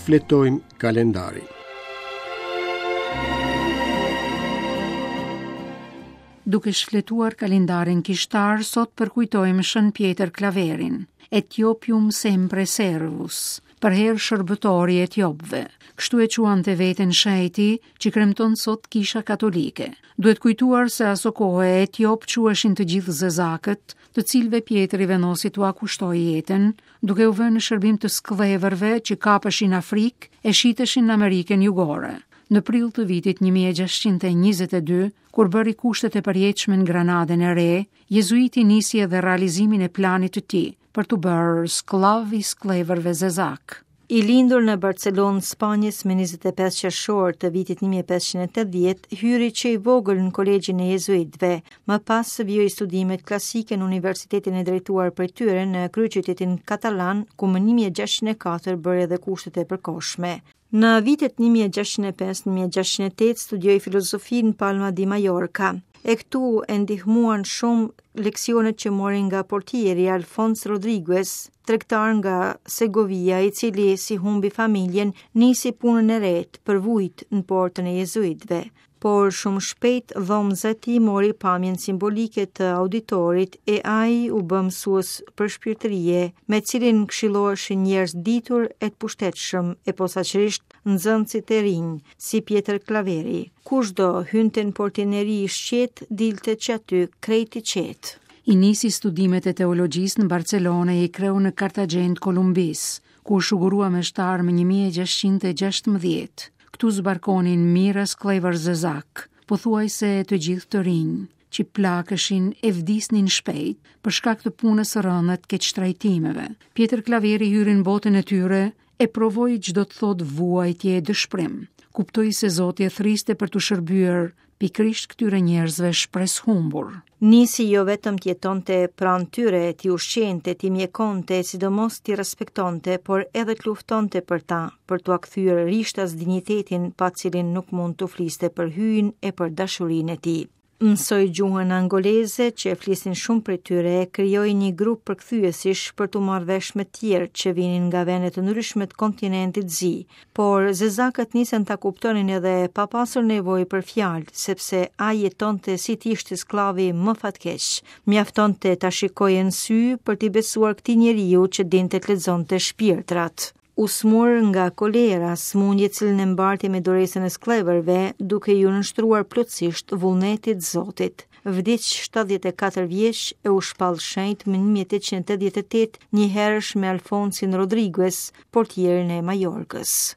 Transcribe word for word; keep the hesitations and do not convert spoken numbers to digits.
Shfletojmë kalendarin. Duke shfletuar kalendarin kishtar, sot përkujtojmë Shën Pjetër Klaverin, Etiopium sempre servus, përherë shërbëtori i Etiopëve. Kështu e quante veten shenjti që kremton sot Kisha Katolike. Duhet kujtuar se aso kohe Etiop quheshin të gjithë zezakët, të cilëve Pjetri vendosi t'ua kushtojë jetën, duke u vënë në shërbim të skllevërve që kapeshin në Afrikë e shiteshin në Amerikën Jugore. Në prill të vitit një mijë e gjashtëqind e njëzet e dy, kur bëri kushtet e përjetshme në Granadën e Re, jezuiti nisi edhe realizimin e planit të tij për t'u bërë skllav i skllevërve zezak. I lindur në Barcelonë, Spanjës, me njëzet e pesë qershor të vitit një mijë e pesëqind e tetëdhjetë, hyri që i vogël në kolegjin e jezuitëve. Më pas vijoi studimet klasike në universitetin e drejtuar prej tyre në kryeqytetin katalan, ku më një mijë e gjashtëqind e katër bëri edhe kushtet e përkohshme. Në vitet një mijë e gjashtëqind e pesë, një mijë e gjashtëqind e tetë studioi filozofi në Palma di Mallorca. E këtu e ndihmuan shumë leksionet që mori nga portieri Alfons Rodriguez, tregtar nga Segovia, i cili si humbi familjen, nisi punën e re për vujt në portën e jezuitëve. Por shumë shpejt dhomëza e tij mori pamjen simbolike të auditorit e ai u bë mësues për shpirtërie, me cilin këshilloheshin njerëz ditur e të pushtetshëm e posaçërisht nxënësit e rinj, si Pjetër Klaveri. Kushdo hynte në portineri i shqet, dilte që aty krejt i qetë. I nisi studimet e teologjisë në Barcelonë e i kreu në Kartagjenë të Kolumbisë, ku u shugurua meshtar më një mijë e gjashtëqind e gjashtëmbëdhjetë. Këtu zbarkonin mijëra skllevër zezak, pothuajse të gjithë të rinj, që plakeshin e vdisnin shpejt për shkak të punës së rëndë të keqtrajtimeve. Pjetër Klaveri hyri në botën e tyre e provoi ç'do të thotë vuajtje e dëshprim. Kuptoi se Zoti e thriste për t'u shërbyer pikërisht këtyre njerëzve shpresë humbur. Nisi jo vetëm të jetonte pranë tyre, t'i ushqente, t'i mjekonte, sidomos t'i respektonte, por edhe të luftonte për ta, për t'ua kthyer rishtas dinjitetin pa cilin nuk mund të fliste për hyjin e për dashurinë e tij. Mësoi gjuhën angoleze që e flisnin shumë prej tyre, krijoi një grup përkthyesish për t'u marrë vesh me tjerë që vinin nga vende të ndryshme të kontinentit zi, por zezakët nisën ta kuptonin edhe pa pasur nevojë për fjalë, sepse ai jetonte si të ishte skllavi më fatkeq. Mjaftonte ta shikoje në sy për t'i besuar këtij njeriu që dinte të lexonte shpirtrat. U smur nga kolera, smundje cilën e mbarti me dorësën e skllevërve, duke ju nënshtruar plotësisht vullnetit Zotit. Vdiq shtatëdhjetë e katër vjeç e u shpall shenjt më një mijë e tetëqind e tetëdhjetë e tetë, njëherësh me Alfonsin Rodriguez, portierin e Mallorcës.